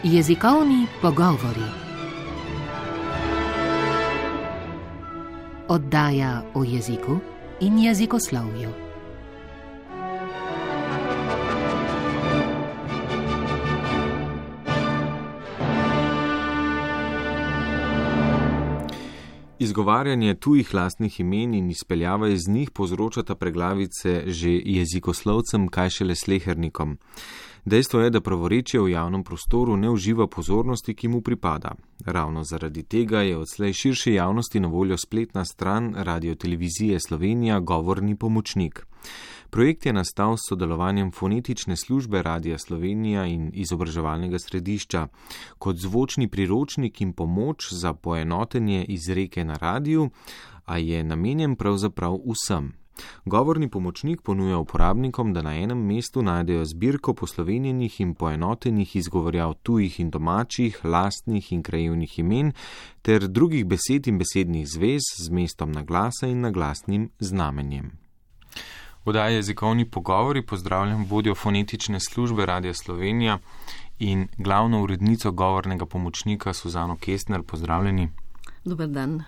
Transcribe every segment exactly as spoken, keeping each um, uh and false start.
Jezikovni pogovori. Oddaja o jeziku in jezikoslovju. Izgovarjanje tujih lastnih imen in izpeljava iz njih povzročata preglavice že jezikoslovcem, kaj šele slehernikom. Dejstvo je, da pravorečje v javnem prostoru ne uživa pozornosti, ki mu pripada. Ravno zaradi tega je odslej širši javnosti na voljo spletna stran Radiotelevizije Slovenija Govorni pomočnik. Projekt je nastal s sodelovanjem fonetične službe Radia Slovenija in izobraževalnega središča kot zvočni priročnik in pomoč za poenotenje izreke na radiju, a je namenjen pravzaprav vsem. Govorni pomočnik ponuja uporabnikom, da na enem mestu najdejo zbirko poslovenjenih in poenotenih izgovorjav tujih in domačih, lastnih in krajevnih imen ter drugih besed in besednih zvez z mestom naglasa in naglasnim znamenjem. Oddaja Jezikovni pogovori pozdravljam vodjo fonetične službe Radia Slovenija in glavno urednico govornega pomočnika Suzano Kestner. Pozdravljeni. Dober dan.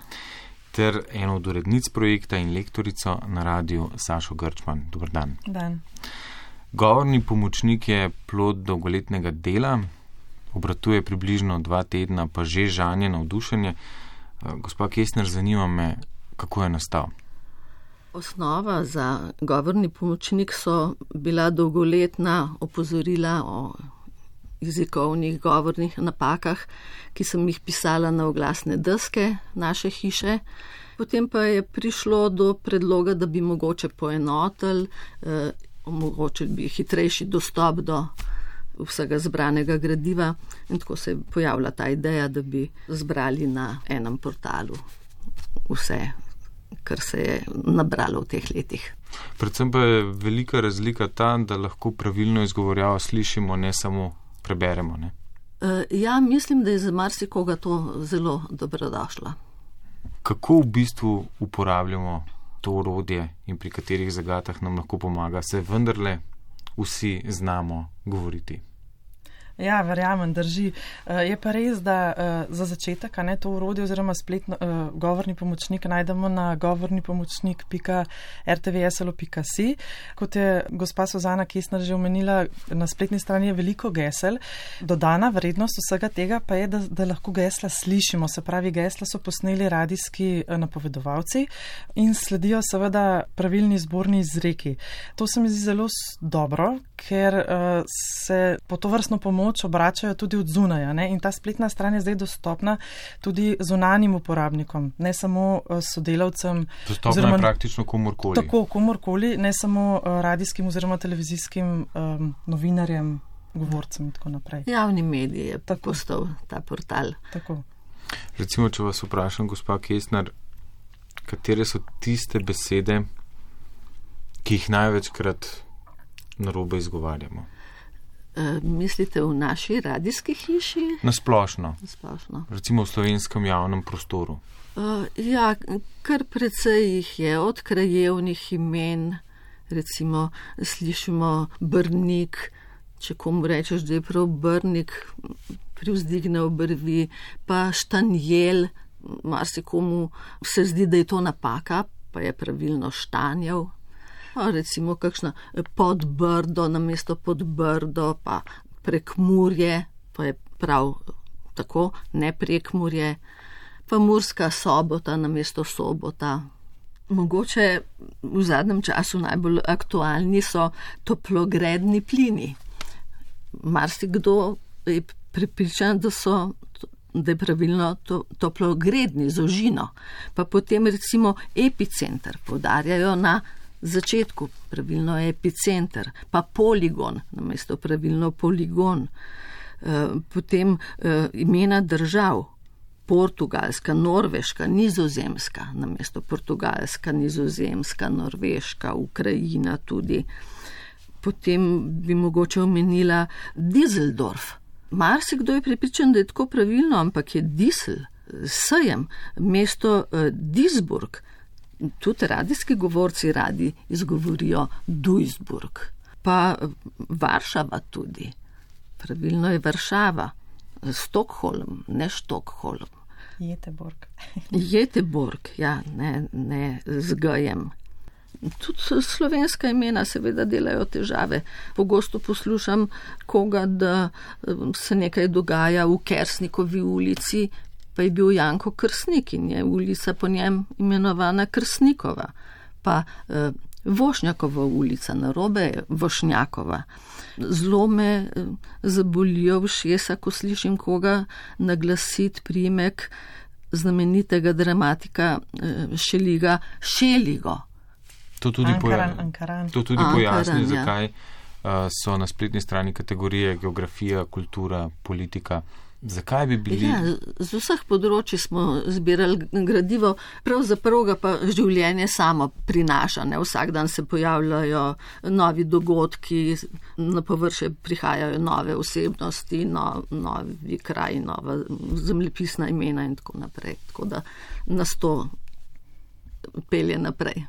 Ter eno od urednic projekta in lektorico na radiju Sašo Grčman. Dober dan. Dan. Govorni pomočnik je plod dolgoletnega dela, obratuje približno dva tedna, pa že žanje navdušenje. Gospa Kestner, zanima me, kako je nastal. Osnova za govorni pomočnik so bila dolgoletna opozorila o jezikovnih govornih napakah, ki sem jih pisala na oglasne deske naše hiše. Potem pa je prišlo do predloga, da bi mogoče poenotili, eh, omogočili bi hitrejši dostop do vsega zbranega gradiva in tako se je pojavila ta ideja, da bi zbrali na enem portalu vse, kar se je nabralo v teh letih. Predvsem pa je velika razlika ta, da lahko pravilno izgovorjavo slišimo, ne samo preberemo, ne? Ja, mislim, da je za marsikoga to zelo dobrodošlo. Kako v bistvu uporabljamo to orodje in pri katerih zagatah nam lahko pomaga, se vendarle vsi znamo govoriti? Ja, verjamem, drži. Je pa res, da za začetek, a ne, to orodje oziroma spletno uh, govorni pomočnik najdemo na govorni pomočnik pika er te ve es el o pika si. Kot je gospa Suzana Kestner že omenila, na spletni strani je veliko gesel. Dodana vrednost vsega tega pa je, da, da lahko gesla slišimo. Se pravi, gesla so posneli radijski napovedovalci in sledijo seveda pravilni zborni izreki. To se mi zdi zelo dobro, ker uh, se po to vrstno pomoč obračajo tudi od zunaja, ne? In ta spletna stran je zdaj dostopna tudi zunanjim uporabnikom, ne samo sodelavcem. Dostopna oziroma, je praktično komorkoli. Tako, komorkoli, ne samo radijskim oziroma televizijskim um, novinarjem, govorcem in tako naprej. Javni medij je tako postal ta portal. Tako. Recimo, če vas vprašam, gospa Kestner, katere so tiste besede, ki jih največkrat narobe izgovarjamo? Uh, mislite v naši radijski hiši? Nasplošno. Nasplošno. Recimo v slovenskem javnem prostoru. Uh, ja, kar precej jih je, od krajevnih imen, recimo slišimo Brnik, če komu rečeš, da je prav Brnik, privzdigne obrvi, pa Štanjel, marsikomu se zdi, da je to napaka, pa je pravilno Štanjev. Pa recimo kakšna Podbrdo namesto Podbrdo, pa Prekmurje, pa je prav tako, ne Prekmurje, pa Murska Sobota namesto Sobota. Mogoče v zadnjem času najbolj aktualni so toplogredni plini. Marsikdo je prepričan, da so da je pravilno to, toplogredni z ožino. Pa potem recimo epicenter poudarjajo na začetku, pravilno je epicenter, pa poligon, namesto pravilno poligon. E, potem e, imena držav, Portugalska, Norveška, Nizozemska, namesto Portugalska, Nizozemska, Norveška, Ukrajina tudi. Potem bi mogoče omenila Düsseldorf. Marsikdo je prepričan, da je tako pravilno, ampak je Disel, sejem, mesto e, Duisburg. Tudi radijski govorci radi izgovorijo Duisburg. Pa Varšava tudi. Pravilno je Varšava. Stokholm, ne Štokholm. Jeteborg. Jeteborg, ja, ne, ne z G-jem. Tudi slovenska imena seveda delajo težave. Pogosto poslušam koga, da se nekaj dogaja v Kersnikovi ulici, pa je bil Janko Krsnik in je ulica po njem imenovana Krsnikova. Pa eh, Vošnjakova ulica, narobe Vošnjakova. Zelo me eh, zabolijo ušesa, ko slišim koga naglasiti priimek znamenitega dramatika eh, Šeliga Šeligo. To tudi, Ankaran, poja Ankaran. to tudi Ankaran, pojasni, ja. zakaj uh, so na spletni strani kategorije geografija, kultura, politika. Zakaj bi bili... Ja, z vseh področji smo zbirali gradivo, pravzaprav ga pa življenje samo prinaša. Ne? Vsak dan se pojavljajo novi dogodki, na površje prihajajo nove osebnosti, no, novi kraj, nova zemljepisna imena in tako naprej. Tako da nas to pelje naprej.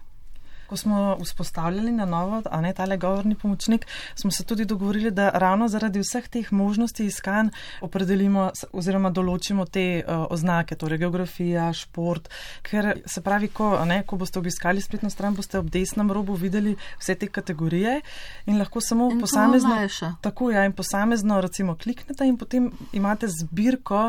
Ko smo vzpostavljali na novo, a ne tale govorni pomočnik, smo se tudi dogovorili, da ravno zaradi vseh teh možnosti iskanj opredelimo oziroma določimo te uh, oznake, torej geografija, šport, ker se pravi, ko, a ne, ko boste obiskali spletno stran, boste ob desnem robu videli vse te kategorije in lahko samo in posamezno, tako ja, in posamezno recimo kliknete in potem imate zbirko,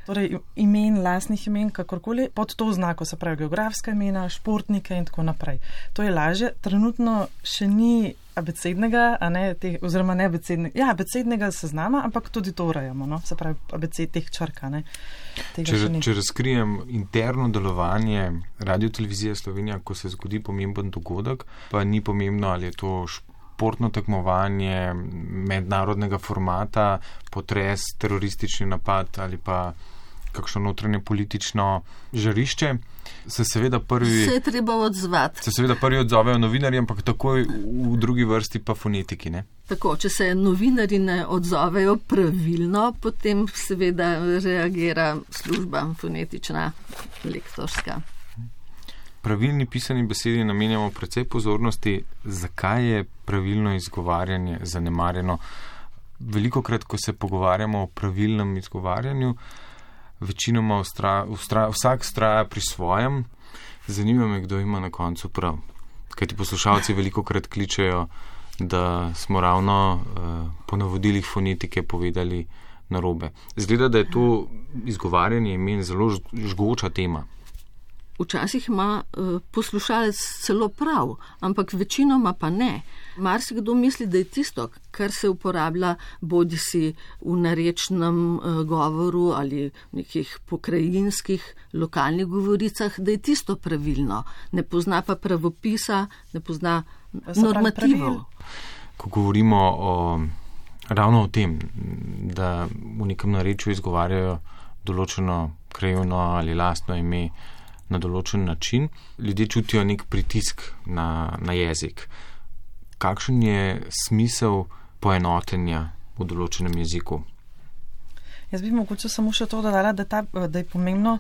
torej imen, lastnih imen, kakorkoli, pod to znako, se pravi geografska imena, športnike in tako naprej. To je lažje. Trenutno še ni abecednega, a ne, te, oziroma ne abecednega, ja, abecednega seznama, ampak tudi to urejamo, no? Se pravi abeced teh črka, ne. Če, če razkrijem interno delovanje Radio-televizije Slovenija, ko se zgodi pomemben dogodek, pa ni pomembno, ali je to športno tekmovanje mednarodnega formata, potres, teroristični napad ali pa kakšno notranje politično žarišče, se seveda prvi... Se je treba odzvati. Se seveda prvi odzovejo novinarji, ampak takoj v drugi vrsti pa fonetiki, ne? Tako, če se novinarji ne odzovejo pravilno, potem seveda reagira služba fonetična, lektorska. Pravilni pisani besedi namenjamo precej pozornosti, zakaj je pravilno izgovarjanje zanemarjeno. Velikokrat, ko se pogovarjamo o pravilnem izgovarjanju, večinoma ustra, ustra, vsak straja pri svojem. Zanima me, kdo ima na koncu prav. Kajti poslušalci velikokrat kličejo, da smo ravno uh, po navodilih fonetike povedali narobe. Zgleda, da je to izgovarjanje imen zelo žgoča tema. Včasih ima uh, poslušalec celo prav, ampak večinoma pa ne. Marsikdo misli, da je tisto, kar se uporablja bodisi v narečnem uh, govoru ali nekih pokrajinskih lokalnih govoricah, da je tisto pravilno. Ne pozna pa pravopisa, ne pozna normativov. Ko govorimo o, ravno o tem, da v nekem narečju izgovarjajo določeno krajevno ali lastno ime na določen način, ljudje čutijo nek pritisk na, na jezik. Kakšen je smisel poenotenja v določenem jeziku? Jaz bi mogoče samo še to dodala, da, ta, da je pomembno,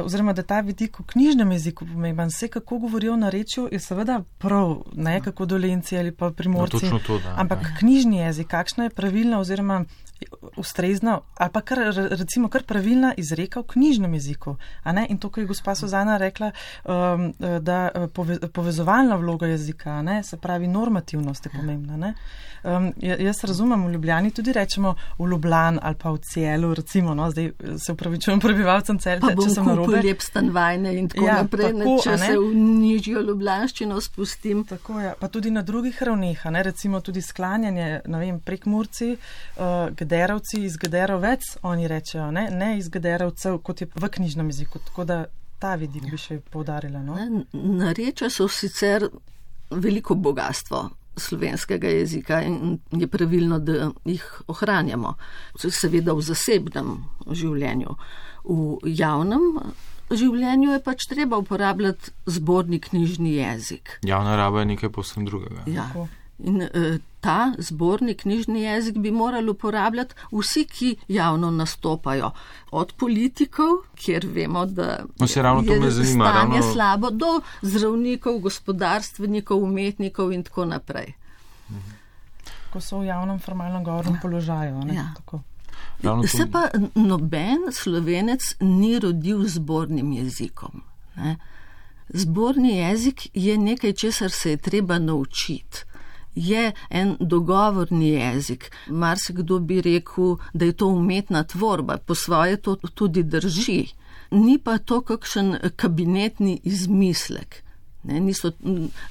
oziroma da ta vidik v knjižnem jeziku pomemben. Vse, kako govorijo na rečju, je seveda prav, ne kako Dolenci ali pa Primorci. No, to, da, ampak ja. Knjižni jezik, kakšna je pravilna oziroma ustrezna ali pa kar, recimo kar pravilna izreka v knjižnem jeziku. A ne? In to, ko je gospa Suzana rekla, um, da pove, povezovalna vloga jezika, ne? Se pravi normativnost je pomembna. Ne? Um, jaz razumem, v Ljubljani tudi rečemo v Ljubljan ali pa v Celu, recimo, no? Zdaj se upravičujem prebivalcem Celja, če sem narobe. Pa bom kupil lep stanvajne in tako ja, naprej, tako, če se v nižjo ljubljanščino spustim. Tako, ja. Pa tudi na drugih ravneh, ne? Recimo tudi sklanjanje, ne vem, Prekmurci, uh, Gederovci iz Gederovec, oni rečejo, ne, ne iz Gederovcev, kot je v knjižnem jeziku. Tako da ta vidik bi še poudarila. No? Narečja so sicer veliko bogatstvo slovenskega jezika in je pravilno, da jih ohranjamo. Seveda v zasebnem življenju. V javnem življenju je pač treba uporabljati zborni knjižni jezik. Javna raba je nekaj povsem drugega. Ja. In uh, ta zborni knjižni jezik bi morali uporabljati vsi, ki javno nastopajo. Od politikov, kjer vemo, da no, se ravno to me zanima, stanje ravno... slabo, do zdravnikov, gospodarstvenikov, umetnikov in tako naprej. Ko so v javnem formalnem govornem položaju. Ne? Ja. Tako. ravno Se to... pa noben Slovenec ni rodil z zbornim jezikom. Ne? Zborni jezik je nekaj, česar se je treba naučiti. Je en dogovorni jezik. Marsikdo bi rekel, da je to umetna tvorba, po svoje to tudi drži. Ni pa to kakšen kabinetni izmislek. Ne, niso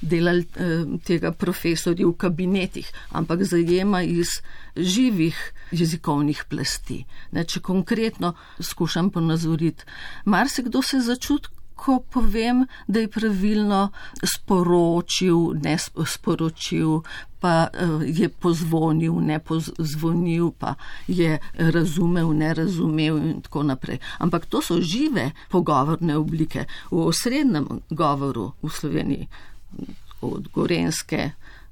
delali eh, tega profesorji v kabinetih, ampak zajema iz živih jezikovnih plasti. Ne, če konkretno skušam ponazoriti, marsikdo se začuti, ko povem, da je pravilno sporočil, ne sporočil, pa je pozvonil, ne pozvonil, pa je razumel, ne razumel in tako naprej. Ampak to so žive pogovorne oblike. V osrednjem govoru v Sloveniji, od Gorenjske,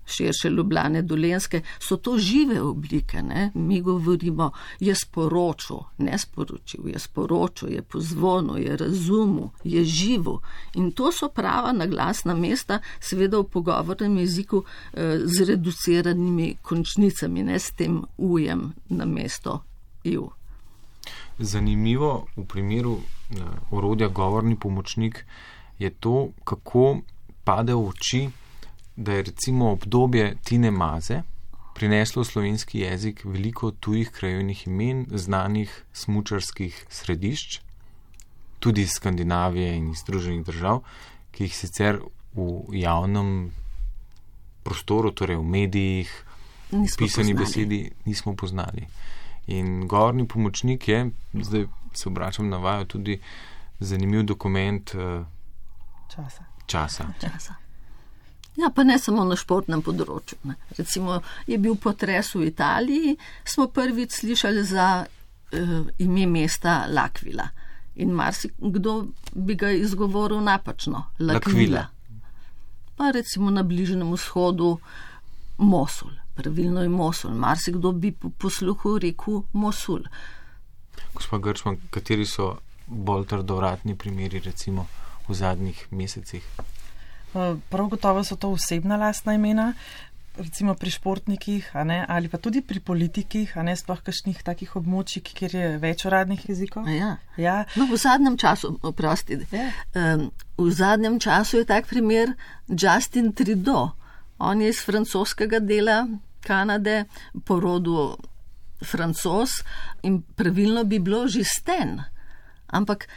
širše Ljubljane, Dolenjske, so to žive oblike. Ne? Mi govorimo, je sporočil, ne sporočil, je sporočil, je pozvonil, je razumel, je živo. In to so prava naglasna mesta, seveda v pogovornem jeziku eh, z reduciranimi končnicami, ne s tem ujem na mesto iu. Zanimivo v primeru eh, orodja govorni pomočnik je to, kako pade v oči, da je recimo obdobje Tine Maze prineslo v slovenski jezik veliko tujih krajevnih imen, znanih smučarskih središč, tudi iz Skandinavije in iz Združenih držav, ki jih sicer v javnem prostoru, torej v medijih, v pisani besedi nismo poznali. In govorni pomočnik je, zdaj se obračam na vaju, tudi zanimiv dokument uh, časa. časa. časa. Ja, pa ne samo na športnem področju. Ne. Recimo je bil potres v Italiji, smo prvič slišali za uh, ime mesta L'Aquila. In marsikdo bi ga izgovoril napačno. L'Aquila. Pa recimo na Bližnjem vzhodu Mosul. Pravilno je Mosul. Marsikdo bi po posluhu rekel Mosul. Gospa Grčman, kateri so bolj trdovratni primeri recimo v zadnjih mesecih? Prav gotovo so to osebna lastna imena, recimo pri športnikih, a ne, ali pa tudi pri politikih, a ne sploh kakšnih takih območij, kjer je več uradnih jezikov. Ja. Ja. No, v zadnjem času, oprosti, Ja. um, v zadnjem času je tak primer Justin Trudeau. On je iz francoskega dela Kanade, po rodu Francoz in pravilno bi bilo Justin. Ampak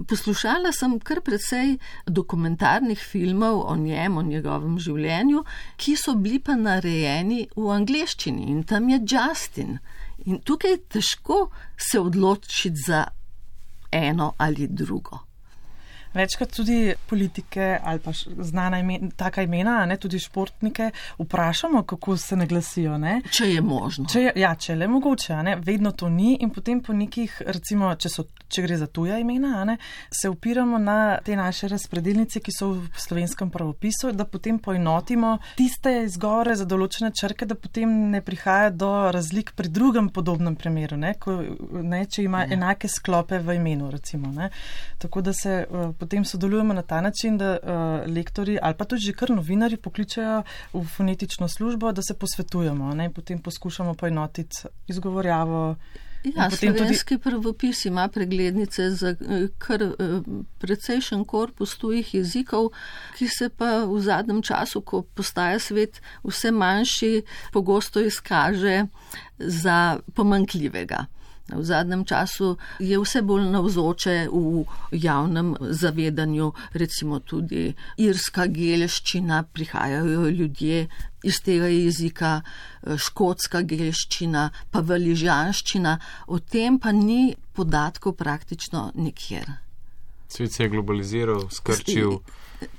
poslušala sem kar precej dokumentarnih filmov o njem, o njegovem življenju, ki so bili pa narejeni v angleščini in tam je Justin. In tukaj je težko se odločiti za eno ali drugo. Večkrat tudi politike ali pa znana imen, taka imena, ne, tudi športnike, vprašamo, kako se ne glasijo. Ne? Če je možno. Če je, ja, če je le mogoče, ne? Vedno to ni in potem po nekih, recimo, če, so, če gre za tuja imena, ne? Se upiramo na te naše razpredelnice, ki so v slovenskem pravopisu, da potem poenotimo tiste izgovore za določene črke, da potem ne prihaja do razlik pri drugem podobnem primeru, ne? Ko, ne, če ima ja. enake sklope v imenu, recimo. Ne? Tako da se uh, potem sodelujemo na ta način, da uh, lektori ali pa tudi že kar novinarji pokličajo v fonetično službo, da se posvetujemo, ne? Potem poskušamo poenotiti izgovorjavo. Ja, slovenski tudi... pravopis ima preglednice za kar precejšen korpus tujih jezikov, ki se pa v zadnjem času, ko postaja svet vse manjši, pogosto izkaže za pomanjkljivega. V zadnjem času je vse bolj navzoče v javnem zavedanju, recimo tudi irska gelščina, prihajajo ljudje iz tega jezika, škotska gelščina, pa valižanščina, o tem pa ni podatkov praktično nikjer. Svet se je globaliziral, skrčil,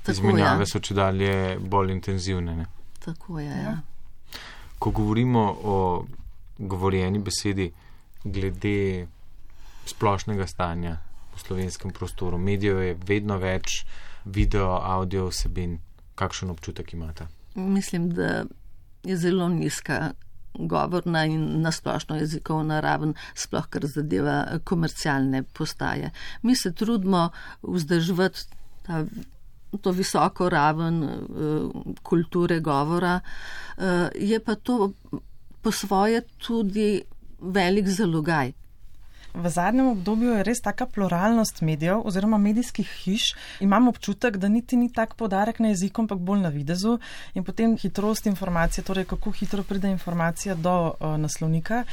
izmenjave so čedalje bolj intenzivne. Ne? Tako je, ja. Ko govorimo o govorjeni besedi, glede splošnega stanja v slovenskem prostoru. Medijev je vedno več, video, audio vsebin. Kakšen občutek imate? Mislim, da je zelo nizka govorna in nasplošno jezikovna raven, sploh kar zadeva komercialne postaje. Mi se trudimo vzdrževati ta, to visoko raven uh, kulture govora, uh, je pa to po svoje tudi velik zalogaj. V zadnjem obdobju je res taka pluralnost medijev oziroma medijskih hiš. Imam občutek, da niti ni tak poudarek na jeziku, ampak bolj na videzu in potem hitrost informacije, torej kako hitro pride informacija do uh, naslovnika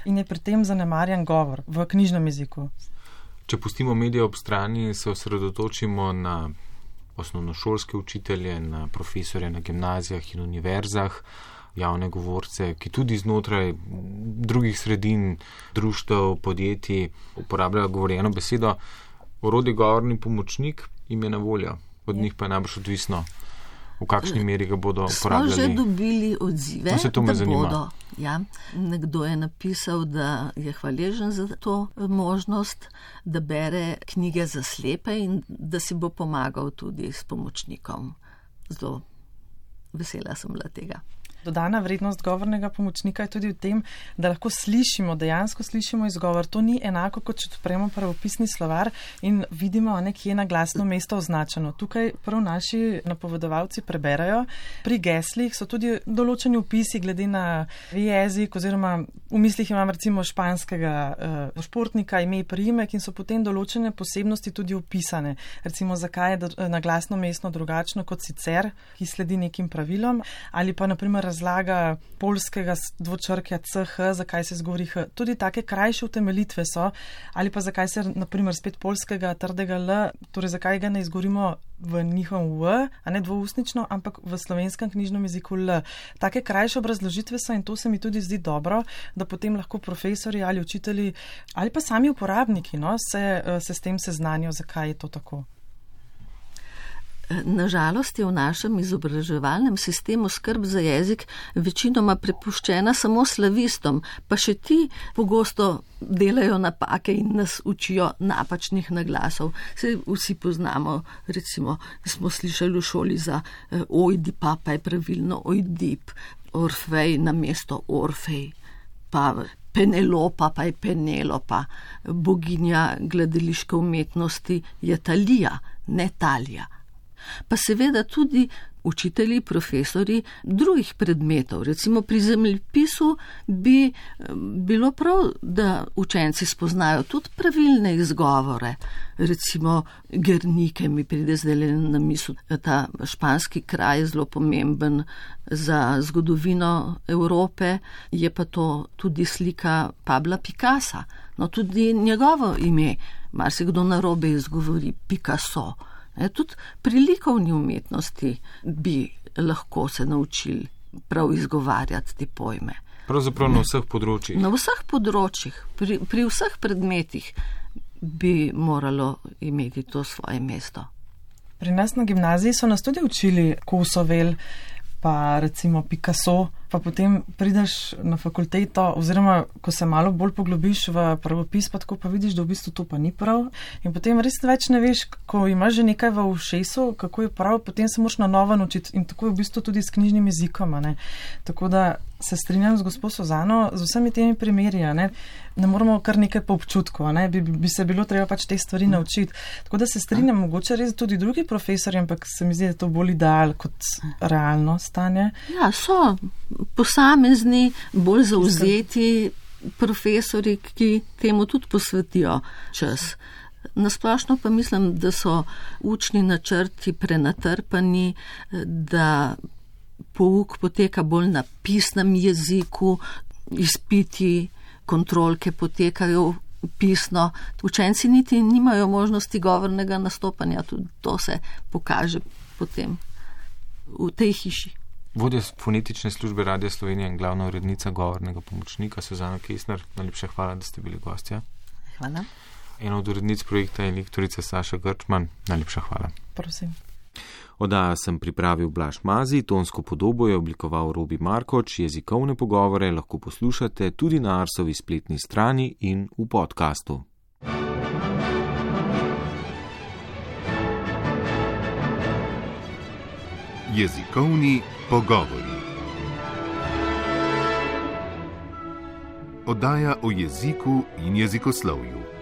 in je pri tem zanemarjan govor v knjižnem jeziku. Če pustimo medije ob strani, se osredotočimo na osnovnošolske učitelje, na profesorje na gimnazijah in univerzah, javne govorce, ki tudi znotraj drugih sredin, društev, podjetij uporabljajo govorjeno besedo. Orodje govorni pomočnik jim je na voljo, od njih pa je najbolj odvisno, v kakšni meri ga bodo uporabljali. Smo že dobili odzive, no, se to me da zanima. bodo. Ja, nekdo je napisal, da je hvaležen za to možnost, da bere knjige za slepe in da si bo pomagal tudi s pomočnikom. Zelo vesela sem bila tega. Dodana vrednost govornega pomočnika je tudi v tem, da lahko slišimo, dejansko slišimo izgovor. To ni enako, kot če odpremo pravopisni slovar in vidimo, nekje na glasno mesto označeno. Tukaj prav naši napovedovalci preberajo. Pri geslih so tudi določeni opisi glede na jezik oziroma v mislih imam recimo španskega uh, športnika, ime, priimek in so potem določene posebnosti tudi opisane. Recimo, zakaj je na glasno mesto drugačno kot sicer, ki sledi nekim pravilom, ali pa naprimer razlaga poljskega dvočrkja C H, zakaj se izgovori H. Tudi take krajše utemeljitve so, ali pa zakaj se, naprimer, spet poljskega trdega L, torej zakaj ga ne izgovorimo v njihovem V, a ne dvoustnično, ampak v slovenskem knjižnem jeziku L. Take krajše obrazložitve so in to se mi tudi zdi dobro, da potem lahko profesori ali učitelji ali pa sami uporabniki no, se, se s tem seznanijo, zakaj je to tako. Nažalost je v našem izobraževalnem sistemu skrb za jezik večinoma prepuščena samo slavistom, pa še ti pogosto delajo napake in nas učijo napačnih naglasov. Se vsi poznamo, recimo, smo slišali v šoli za eh, ojdipa, pa je pravilno ojdip, Orfej na mesto Orfej, pa Penelopa, pa je Penelopa, boginja gledališke umetnosti je Talija, ne Talija. Pa seveda tudi učitelji, profesori drugih predmetov. Recimo pri zemljepisu bi bilo prav, da učenci spoznajo tudi pravilne izgovore. Recimo Gernike mi pride zdaj na misel, ta španski kraj je zelo pomemben za zgodovino Evrope, je pa to tudi slika Pabla Picassa. No tudi njegovo ime, marsikdo narobe izgovori Picasso. E, tudi pri likovni umetnosti bi lahko se naučili prav izgovarjati te pojme. Pravzaprav na vseh področjih. Na vseh področjih, pri, pri vseh predmetih bi moralo imeti to svoje mesto. Pri nas na gimnaziji so nas tudi učili Kosovel, pa recimo Picasso, pa potem prideš na fakulteto oziroma ko se malo bolj poglobiš v pravopis, pa tako pa vidiš, da v bistvu to pa ni prav in potem res več ne veš, ko imaš že nekaj v ušesu, kako je prav, potem se moraš na novo naučiti in tako je v bistvu tudi s knjižnim jezikom, ne. Tako da se strinjam z gospo Suzano z vsemi temi primeri, ne. Ne moramo kar nekaj po občutku, ne, bi, bi se bilo treba pač te stvari naučiti. Tako da se strinjam, mogoče res tudi drugi profesori, ampak se mi zdi, da je to bolj ideal kot realno stanje. Ja, so posamezni, bolj zauzeti profesori, ki temu tudi posvetijo čas. Nasplošno pa mislim, da so učni načrti prenatrpani, da pouk poteka bolj na pisnem jeziku, izpiti, kontrolke potekajo pisno. Učenci niti nimajo možnosti govornega nastopanja, tudi to se pokaže potem v tej hiši. Vodja fonetične službe Radia Slovenija in glavna urednica govornega pomočnika Suzana Kesner, najlepša hvala, da ste bili gostja. Hvala. Ena od urednic projekta je lektorica Saša Grčman, najlepša hvala. Prosim. Oddajo sem pripravil Blaž Mazi, tonsko podobo je oblikoval Robi Markoč, jezikovne pogovore lahko poslušate tudi na Arsovi spletni strani in v podkastu. Jezikovni pogovori. Oddaja o jeziku in jezikoslovju.